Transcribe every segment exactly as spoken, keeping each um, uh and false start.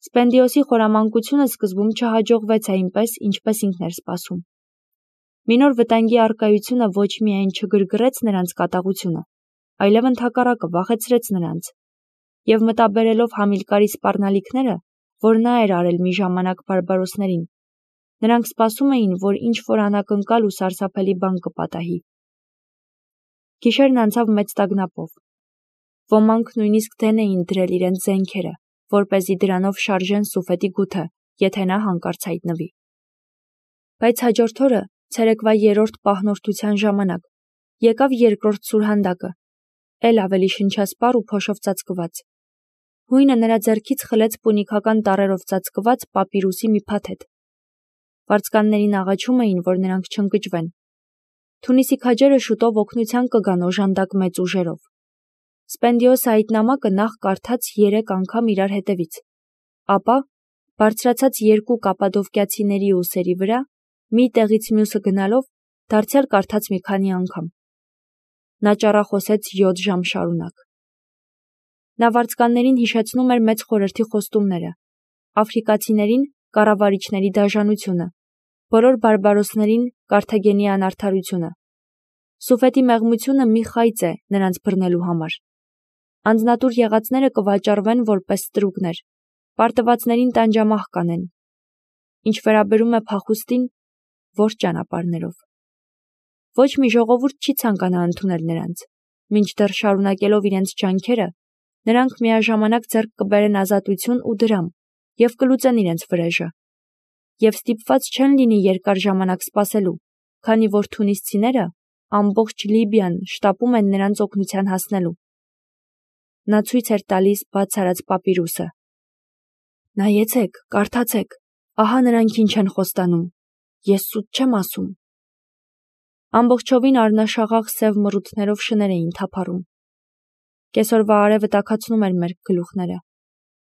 Սպենդիոսի խորամանկությունը սկզբում չհաջողվեց այնպես, ինչպես ինքն էր սպասում։ Մի նոր վտանգի առկայությունը ոչ միայն չգրգռեց նրանց կատաղությունը, այլև ընդհակառակը վախեցրեց նրանց, և մտաբերելով Համիլկարի սպառնալիքները, որ նա էր արել մի ժամանակ բարբարոսներին, նրանք սպասում էին, որ ինչ-որ անակնկալ ու սարսափելի բան կպատահի։ Գիշերն անցավ մեծ տագնապով։ Ոմանք նույնիսկ դեն էին դրել իրենց զենքերը, որպեսզի դրանով շարժեն Սուֆետի գութը, եթե նա հանկարծ հայտնվի։ Բայց հաջորդ օրը, ցերեկվա երրորդ պահնորդության ժամանակ, եկավ երկրորդ սուրհանդակը, էլ ավելի շնչասպառ ու փոշով ծածկված։ Հույնը նրա ձեռքից խլեց պունիկական տառերով ծածկված պապիրուսի մի փաթեթ։ Վարձկաններին աղաչում էին, որ նրանք չընկճվեն։ Թունիսի քաջերը շուտով օգնության կգան օժանդակ մեծ ուժերով։ Սպենդիոսը այդ նամակը նախ կարդաց երեք անգամ իրար հետևից, ապա, բարձրացած երկու կապադովկիացիների ուսերի վրա, մի տեղից մյուսը գնալով, դարձյալ կարդաց մի քանի անգամ։ Նա ճառախոսեց յոթ ժամ շարունակ։ Նա վարձկաններին հիշեցնում էր մեծ խորհրդի խոստումները, աֆրիկացիներին կառավարիչների դաժանությունը, բոլոր բարբարոսներին Կարթագենի անարդարությունը։ Սուֆետի մեղմությունը մի խայծ է նրանց բռնելու համար։ Անձնատուր եղածները կվաճառվեն որպես ստրուկներ, պարտվածներին տանջամահ կանեն։ Ինչ վերաբերում է փախուստին, ո՞ր ճանապարհներով։ Ոչ մի ժողովուրդ չի ցանկանա ընդունել նրանց, մինչդեռ շարունակելով իրենց ջանքերը, նրանք միաժամանակ ձեռք կբերեն ազատություն ու դրամ և կլուծեն իրենց վրեժը։ Եվ ստիպված չեն լինի երկար ժամանակ սպասելու, քանի որ թունիսցիները, ամբողջ Լիբիան շտապում են նրանց օգնության հասնելու։ Նա ցույց էր տալիս բաց արած պապիրուսը։ Նայեցեք, կարդացեք, ահա նրանք ինչ են խոստանում, ես սուտ չեմ ասում։ Ամբողջովին առնաշաղախ սև մռութներով շներ էին թափառում։ Կեսօրվա արևը տաքացնում էր մեր գլուխները։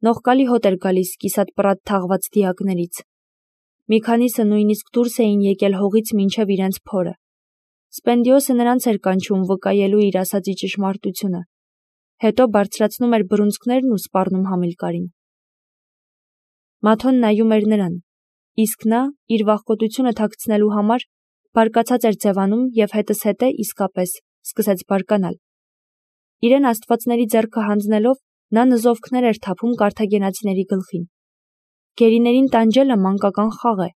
Նողկալի հոտ էր գալիս կիսատ-պռատ թաղված դիակներից։ Մի քանիսը նույնիսկ դուրս էին եկել հողից մինչև իրենց փորը։ Սպենդիոսը նրանց էր կանչում վկայելու իր ասածի ճշմարտությունը, հետո բարձրացնում էր բռունցքներն ու սպառնում Համիլկարին։ Մաթոն նայում էր նրան, իսկ նա, իր վախկոտությունը թաքցնելու համար, բարկացած էր ձևանում և հետզհետե իսկապես սկսեց բարկանալ։ Իրեն աստվածների ձեռքը հանձնելով, նա նզովքներ էր թափում կարթագենացիների գլխին։ Գերիներին տանջելը մանկական խաղ է։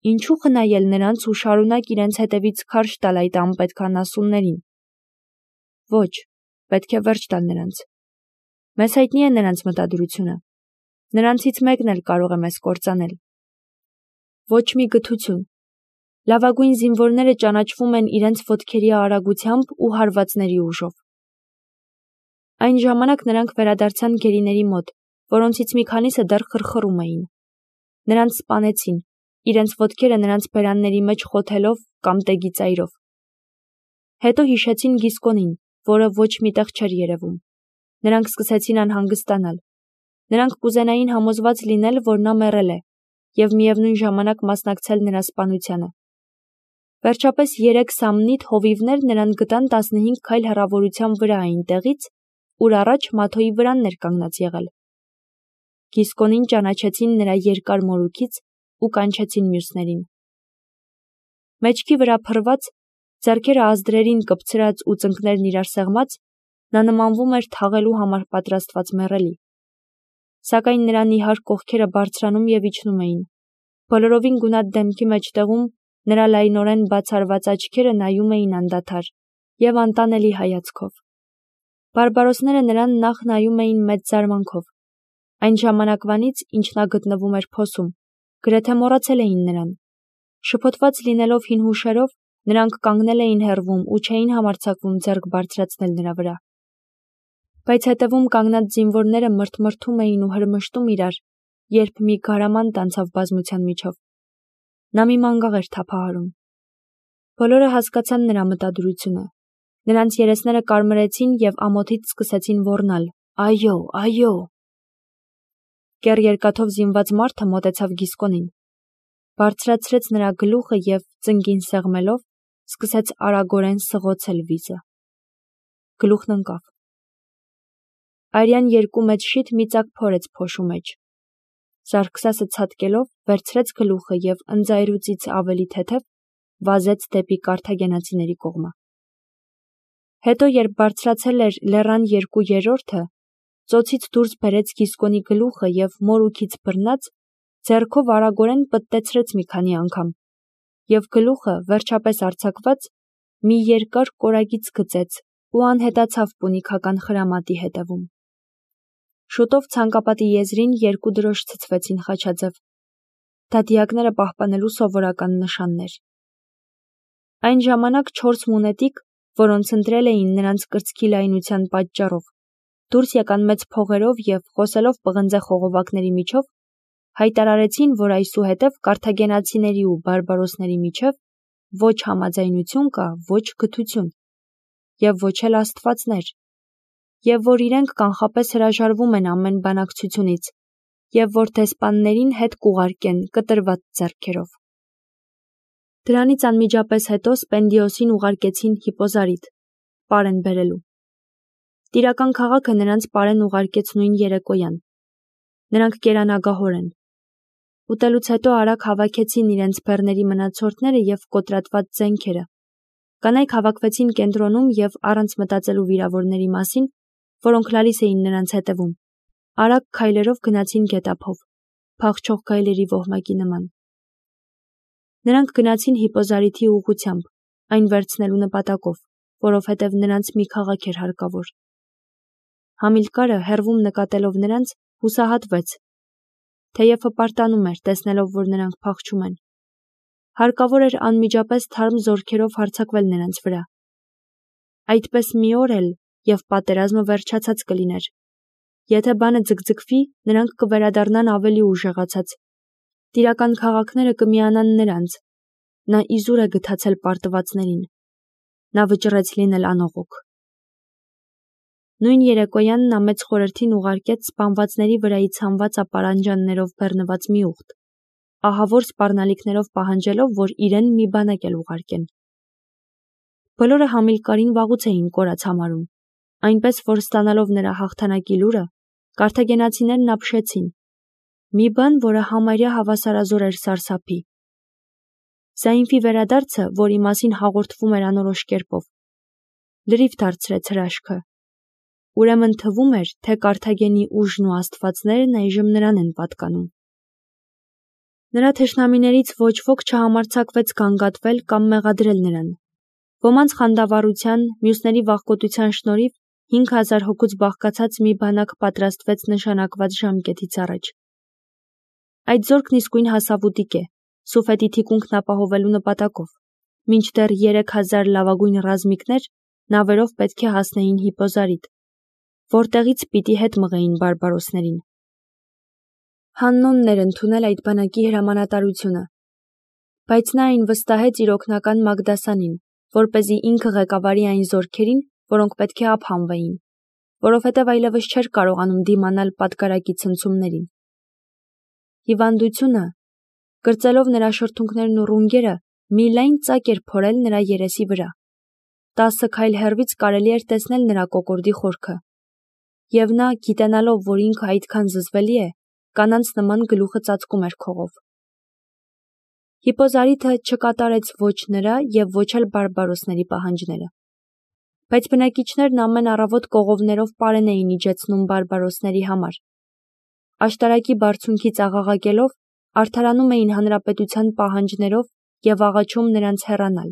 Ինչու խնայել նրանց ու շարունակ իրենց հետևից քարշ տալ այդ անպետք անասուններին։ Ոչ, պետք է վերջ տալ նրանց։ Մեզ հայտնի է նրանց մտադրությունը։ Նրանցից մեկն էլ կարող է մեզ կործանել։ Ոչ մի գթություն։ Լավագույն զինվորները ճանաչվում են իրենց ոտքերի արագությամբ ու հարվածների ուժով։ Այն ժամանակ նրանք վերադարձան գերիների մոտ, որոնցից մի քանիսը դեռ խրխռում էին։ Նրանց սպանեցին, իրենց ոտքերը նրանց բերանների մեջ խոթելով կամ տեգի ծայրով։ Հետո հիշեցին Գիսկոնին, որը ոչ մի տեղ չէր երևում։ Նրանք սկսեցին անհանգստանալ։ Նրանք կուզենային համոզված լինել, որ նա մեռել է, և միևնույն ժամանակ մասնակցել նրա սպանությանը։ Վերջապես երեք սամնիթ հովիվներ նրան գտան տասնհինգ քայլ հեռավորության վրա այն տեղից, ուր առաջ Մաթոյի վրանն էր կանգնած եղել։ Գիսկոնին ճանաչեցին նրա երկար մորուքից ու կանչեցին մյուսներին։ Մեջքի վրա փռված, ձեռքերը ազդրերին կպցրած ու ծնկներն իրար սեղմած, նա նմանվում էր թաղելու համար պատրաստված մեռելի։ Սակայն նրա նիհար կողքերը բարձրանում և իջնում էին։ Բոլորովին գունատ դեմքի մեջտեղում նրա լայնորեն բացարված աչքերը նայում էին անդադար և անտանելի հայացքով։ Բարբարոսները նրան նախ նայում էին մեծ զարմանքով։ Այն ժամանակվանից, ինչ նա գտնվում էր փոսում, գրեթե մոռացել էին նրան։ Շփոթված լինելով հին հուշերով, նրանք կանգնել էին հեռվում ու չէին համարձակվում ձեռք բարձրացնել նրա վրա։ Բայց հետևում կանգնած զինվորները մրթմրթում էին ու հրմշտում իրար, երբ մի գարամանտ անցավ բազմության միջով։ Նա մի մանգաղ էր թափահարում։ Բոլորը հասկացան նրա մտադրությունը։ Նրանց երեսները կարմրեցին և ամոթից սկսեցին ոռնալ. «Այո, այո»։ Կեռ երկաթով զինված մարդը մոտեցավ Գիսկոնին, բարձրացրեց նրա գլուխը և, ծնկին սեղմելով, սկսեց արագորեն սղոցել վիզը։ Գլուխն ընկավ։ Արյան երկու մեծ շիթ մի ծակ փորեց փոշու մեջ։ Սարգսասը ցատկելով վերցրեց գլուխը և ընձայրուծից ավելի թեթև վազեց դեպի կարթագենացիների կողմը։ Հետո, երբ բարձրացել էր լեռան երկու երրորդը, ծոցից դուրս բերեց Գիսկոնի գլուխը և մորուքից բռնած, ձեռքով արագորեն պտտեցրեց մի քանի անգամ, և գլուխը, վերջապես արձակված, մի երկար կորագիծ գծեց ու անհետացավ պունիքական խրամատի հետևում։ Շուտով ցանկապատի եզրին երկու դրոշ ցցվեցին խաչաձև։ Դա դիակները պահպանելու սովորական նշաններ։ Այն ժամանակ չորս մունետիկ, որոնց ընտրել էին նրանց կրծքի լայնության պատճառով, դուրս եկան մեծ փողերով և, խոսելով պղնձե խողովակների միջով, հայտարարեցին, որ այսուհետև կարթագենացիների ու բարբարոսների միջև ոչ համաձայնություն կա, ոչ գթություն, և ոչ էլ աստվածներ, և որ իրենք կանխապես հրաժարվում են ամեն բանակցությունից, և որ դեսպաններին հետ կուղարկեն կտրված ձեռքերով։ Դրանից անմիջապես հետո Սպենդիոսին ուղարկեցին Հիպոզարիդ, պարեն բերելու։ Տիրական քաղաքը նրանց պարեն ուղարկեց նույն երեկոյան։ Նրանք կերանագահոր են։ Ուտելուց հետո արագ հավաքեցին իրենց բեռների մնացորդները և կոտրատված զենքերը։ Կանայք հավաքվեցին կենտրոնում և առանց մտածելու վիրավորների մասին, որոնք լալիս էին նրանց հետևում, արագ քայլերով գնացին գետափով, փախչող գայլերի ոհմակի նման։ Նրանք գնացին Հիպոզարիդի ուղղությամբ, այն վերցնելու նպատակով, որովհետև նրանց մի քաղաք էր հարկավոր։ Համիլկարը, հեռվում նկատելով նրանց, հուսահատվեց, թեև հպարտանում էր, տեսնելով, որ նրանք փախչում են։ Հարկավոր էր անմիջապես թարմ զորքերով հարձակվել նրանց վրա։ Այդպես մի օր էլ, և պատերազմը վերջացած կլիներ։ Եթե բանը ձգձգվի, նրանք կվերադառնան ավելի ուժեղացած։ Տիրական քաղաքները կմիանան նրանց։ Նա իզուր է գթացել պարտվածներին։ Նա վճռեց լինել անողոք։ Նույն երեկոյան նա մեծ խորհրդին ուղարկեց սպանվածների վրայից հանված ապարանջաններով բեռնված մի ուղտ, ահավոր սպառնալիքներով պահանջելով, որ իրեն մի բանակ էլ ուղարկեն։ Բոլորը Համիլկարին վաղուց էին կորած համարում, այնպես որ ստանալով նրա հաղթանակի լուրը, կարթագենացիներն ապշեցին։ Մի բան, որը համարյա հավասարազոր էր սարսափի։ Զայնֆի վերադարձը, որի մասին հաղորդվում էր անորոշ կերպով, լրիվ դարձրեց հրաշքը։ Ուրեմն թվում էր, թե Կարթագենի ուժն ու աստվածներն այժմ նրան են պատկանում։ Նրա թշնամիներից ոչ ոք չհամարձակվեց գանգատվել կամ մեղադրել նրան։ Ոմանց խանդավառության, մյուսների վախկոտության շնորհիվ հինգ հազար հոգուց բաղկացած մի բանակ պատրաստվեց նշանակված ժամկետից առաջ։ Այդ զորքն իսկույն հասավ ուտիկ է, Սուֆետի թիկունքն ապահովելու նպատակով, մինչդեռ երեք հազար լավագույն ռազմիկներ նավերով պետք է հասնեին Հիպոզարիդ, որտեղից պիտի հետ մղեին բարբարոսներին։ Հաննոնն էր ընդունել այդ բանակի հրամանատարությունը, բայց նա այն վստահեց իր օգնական Մագդասանին, որպեսզի ինքը ղեկավարի այն զորքերին, որոնք պետք է ափանվեին, որովհետև այլևս չէր կարողանում դիմանալ պատգարակի ցնցումներին։ Հիվանդությունը, կրծելով նրա շրթունքներն ու ռունգերը, մի լայն ծակ էր փորել նրա երեսի վրա։ Տասը քայլ հեռվից կարելի էր տեսնել նրա կոկորդի խորքը։ Եվ նա, գիտենալով, որ ինքը այդքան զզվելի է, կանանց նման գլուխը ծածկում էր քողով։ Հիպոզարիդը չկատարեց ոչ նրա և ոչ էլ բարբարոսների պահանջները։ Բայց բնակիչներն ամեն առավոտ կողովներով պարեն էին իջեցնում բարբարոսների համար։ Աշտարակի բարձունքից աղաղակելով, արդարանում էին հանրապետության պահանջներով և աղաչում նրանց հեռանալ։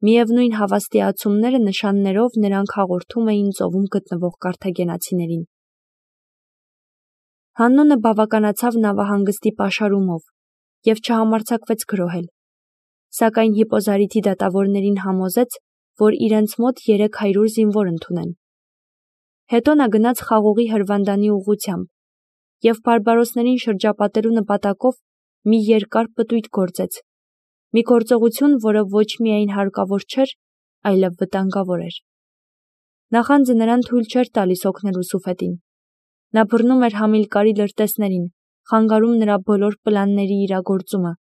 Միևնույն հավաստիացումները նշաններով նրանք հաղորդում էին ծովում գտնվող կարթագենացիներին։ Հաննոնը բավականացավ նավահանգստի պաշարումով և չհամարձակվեց գրոհել, սակայն Հիպոզարիդի դատավորներին համոզեց, որ իրենց մոտ երեք հարյուր զինվոր ընդունեն։ Հետո նա գնաց խաղողի հրվանդանի ուղղությամբ և բարբարոսներին շրջապատելու նպատակով մի երկար պտույտ գործեց, մի գործողություն, որը ոչ միայն հարկավոր չէր, այլև վտանգավոր էր։ Նախանձը նրան թույլ չէր տալիս օգնելու Սուֆետին։ Նա բռնում էր Համիլկարի լրտեսներին, խանգարում նրա բոլոր պլանների իրագործումը,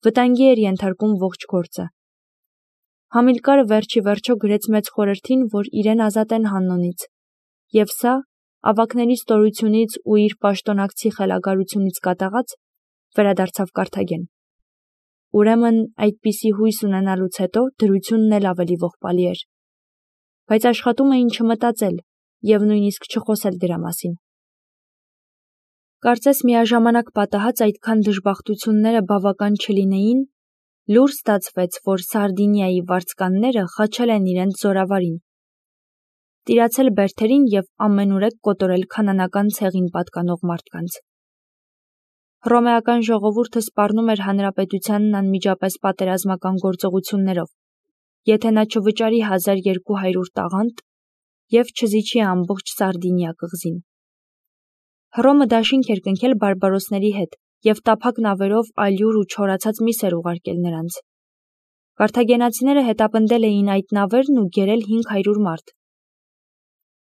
վտանգի էր ենթարկում ողջ գործը։ Համիլկարը վերջի վերջո գրեց մեծ խորհրդին, որ իրեն ազատեն Հաննոնից, և սա, ավագների ստորությունից ու իր պաշտոնակցի խելագարությունից կատաղած, վերադարձավ Կարթագեն։ Ուրեմն այդպիսի հույս ունենալուց հետո դրությունն էլ ավելի ողբալի էր։ Բայց աշխատում էին չմտածել և նույնիսկ չխոսել դրա մասին։ Կարծես միաժամանակ պատահած այդքան դժբախտությունները բավական չլինեին, լուր ստացվեց, որ Սարդինիայի վարձկանները խաչել են իրենց զորավարին, տիրացել բերդերին և ամենուրեք կոտորել քանանական ցեղին պատկանող մարդկանց։ Հռոմեական ժողովուրդը սպառնում էր հանրապետությանն անմիջապես պատերազմական գործողություններով, եթե նա չվճարի հազար երկու հարյուր տաղանդ և չզիջի ամբողջ Սարդինիա կղզին։ Հռոմը դաշինք էր կնքել բարբարոսների հետ և տափակ նավերով ալյուր ու չորացած միս էր ուղարկել նրանց։ Կարթագենացիները հետապնդել էին այդ նավերն ու գերել հինգ հարյուր մարդ։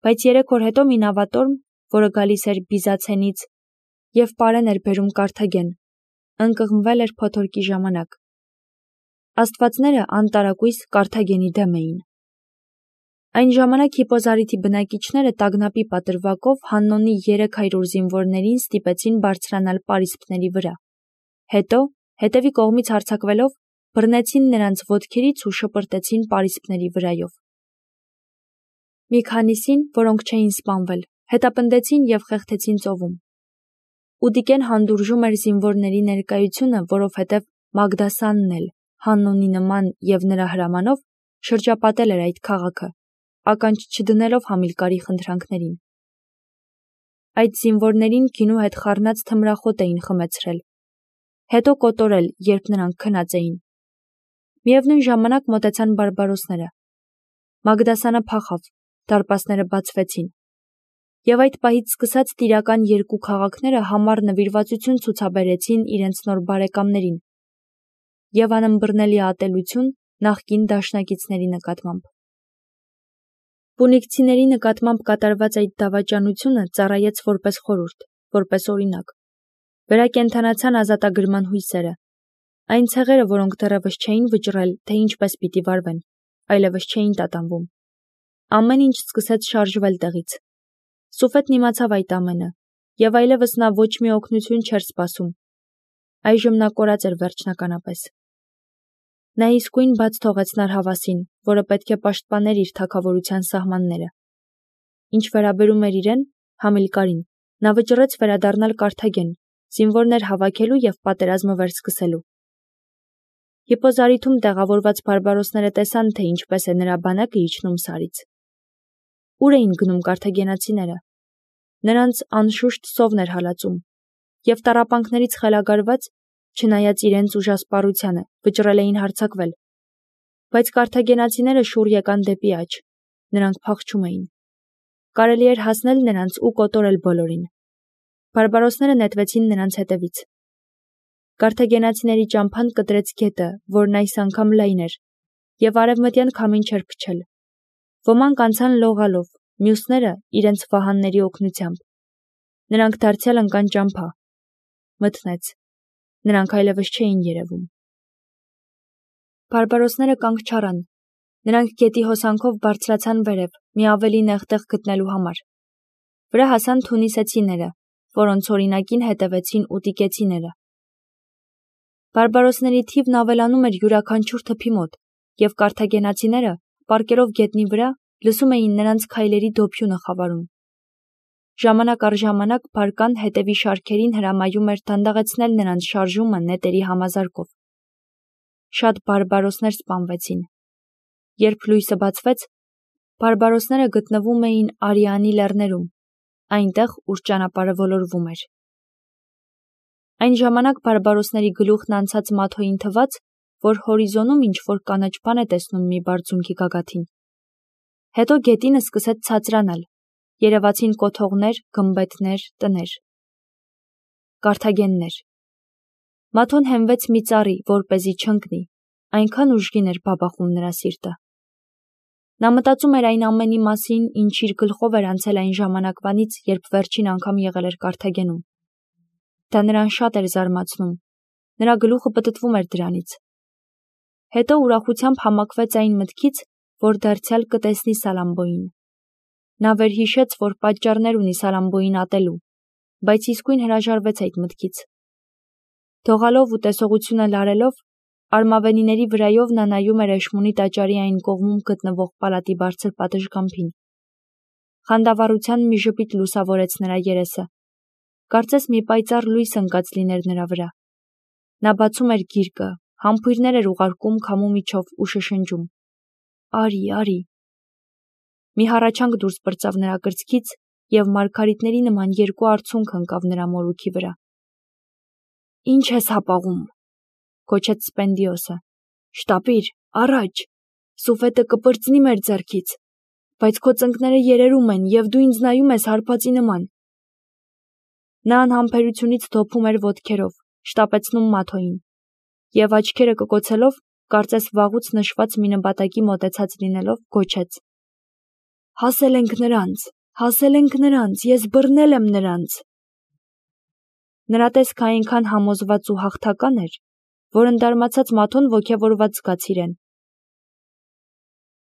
Բայց երեք օր հետո մի նավատորմ, որը գալիս էր Բիզացենից և պարեն էր բերում Կարթագեն, ընկղմվել էր փոթորկի ժամանակ։ Աստվածները անտարակույս Կարթագենի դեմ էին։ Այն ժամանակ Հիպոզարիթի բնակիչները տագնապի պատրվակով Հաննոնի երեք հարյուր զինվորներին ստիպեցին բարձրանալ պարիսպների վրա։ Հետո, հետևի կողմից հարձակվելով, բռնեցին նրանց ոտքերից ու շպրտեցին պարիսպների վրայով։ Մի քանիսին, որոնք չէին սպանվել, հետապնդեցին և խեղդեցին ծովում։ Ուդիկեն հանդուրժում էր զինվորների ներկայությունը, որովհետև Մագդասանն էլ, Հաննոնի նման և նրա հրամանով, շրջապատել էր այդ քաղաքը, ականջ չդնելով Համիլկարի խնդրանքներին։ Այդ զինվորներին գինու հետ խառնած թմրախոտ էին խմեցրել, հետո կոտորել, երբ նրանք քնած էին։ Միևնույն ժամանակ մոտեցան բարբարոսները։ Մագդասանը փախավ, դարպասները բացվեցին։ Եվ այդ պահից սկսած տիրական երկու քաղաքները համառ նվիրվածություն ցուցաբերեցին իրենց նոր բարեկամներին և անըմբռնելի ատելություն նախկին դաշնակիցների նկատմամբ։ Պունիկցիների նկատմամբ կատարված այդ դավաճանությունը ծառայեց որպես խորհուրդ, որպես օրինակ։ Վերակենդանացան ազատագրման հույսերը։ Այն ցեղերը, որոնք դեռևս չէին վճռել, թե ինչպես պիտի վարվեն, այլևս չէին տատանվում։ Ամեն ինչ սկսեց շարժվել տեղից։ Սուֆետն իմացավ այդ ամենը, և այլևս նա ոչ մի օգնություն չէր սպասում։ Այժմ նա կորած էր վերջնականապես։ Նա իսկույն բաց թողեց Նարհավասին, որը պետք է պաշտպաներ իր թագավորության սահմանները։ Ինչ վերաբերում էր իրեն, Համիլկարին, նա վճռեց վերադառնալ Կարթագեն, զինվորներ հավաքելու և պատերազմը վերսկսելու։ Հիպոզարիթում տեղավորված բարբարոսները տեսան, թե ինչպես է նրա բանակը իջնում Սարից։ Ուր էին գնում կարթագենացիները։ Նրանց անշուշտ սովն էր հալածում, և տառապանքներից խելագարված, չնայած իրենց ուժասպառությանը, վճռել էին հարձակվել։ Բայց կարթագենացիները շուռ եկան դեպի աջ, նրանք փախչում էին։ Կարելի էր հասնել նրանց ու կոտորել բոլորին։ Բարբարոսները նետվեցին նրանց հետևից։ Կարթագենացիների ճամփան կտրեց գետը, որն այս անգամ լայն էր, և արևմտյան քամին չէր փչել։ Ոմանք անցան լողալով, մյուսները իրենց վահանների օգնությամբ։ Նրանք դարձյալ ընկան ճամփա։ Մթնեց։ Նրանք այլևս չէին երևում։ Բարբարոսները կանգ չառան։ Նրանք գետի հոսանքով բարձրացան վերև, մի ավելի նեղ տեղ գտնելու համար։ Վրա հասան թունիսեցիները, որոնց օրինակին հետևեցին ուտիկեցիները։ Բարբարոսների թիվն ավելանում էր յուրաքանչյուր թփի մոտ, և կարթագենացիները, պառկերով գետնի վրա, լսում էին նրանց քայլերի դոփյունը խավարում։ Ժամանակ առ ժամանակ բարկան հետևի շարքերին հրամայում էր դանդաղեցնել նրանց շարժումը նետերի համազարկով։ Շատ բարբարոսներ սպանվեցին։ Երբ լույսը բացվեց, բարբարոսները գտնվում էին Արիանի լեռներում, այնտեղ, ուր ճանապարհը ոլորվում էր։ Այն ժամանակ բարբարոսների գլուխն անցած Մաթոյին թվաց, որ հորիզոնում ինչ-որ կանաչ բան է տեսնում մի բարձունքի գագաթին։ Հետո գետինը սկսեց ցածրանալ, երևացին կոթողներ, գմբեթներ, տներ։ Կարթագեններ։ Մաթոն հենվեց մի ծառի, որպեսզի չընկնի, այնքան ուժգին էր բաբախում նրա սիրտը։ Նա մտածում էր այն ամենի մասին, ինչ իր գլխով էր անցել այն ժամանակվանից, երբ վերջին անգամ եղել էր Կարթագենում։ Դա նրան շատ էր զարմացնում, նրա գլուխը պտտվում էր դրանից։ Հետո ուրախությամբ համակվեց այն մտքից, որ դարձյալ կտեսնի Սալամբոյին։ Նա վերհիշեց, որ պատճառներ ունի Սարամբոյին ատելու, բայց իսկույն հրաժարվեց այդ մտքից։ Թողալով ու տեսողությունը լարելով, արմավենիների վրայով նա նայում էր Էշմունի տաճարի այն կողմում գտնվող պալատի բարձր պատշգամբին։ Խանդավառության մի ժպիտ լուսավորեց նրա երեսը։ Կարծես մի պայծառ լույս ընկած լիներ նրա վրա։ Նա բացում էր գիրկը, համբույրներ էր ուղարկում քամու միջով ու շշնջում. «Արի, արի»։ Մի հառաչանք դուրս պրծավ նրա կրծքից, և մարգարիտների նման երկու արցունք ընկավ նրա մորուքի վրա։ «Ինչ ես հապաղում», գոչեց Սպենդիոսը։ «Շտապիր, առաջ, Սուֆետը կպրծնի մեր ձեռքից, բայց քո ծնկները երերում են, և դու ինձ նայում ես հարբածի նման»։ Նա անհամբերությունից դոփում էր ոտքերով, շտապեցնում Մաթոյին, և աչքերը կկոցելով, կարծես վաղուց նշված մի նպատակի մոտեցած լինելով, գոչեց. «Հասել ենք նրանց, հասել ենք նրանց, ես բռնել եմ նրանց»։ Նրա տեսքը այնքան համոզված ու հաղթական էր, որ ընդարմացած Մաթոն ոգևորված զգաց իրեն,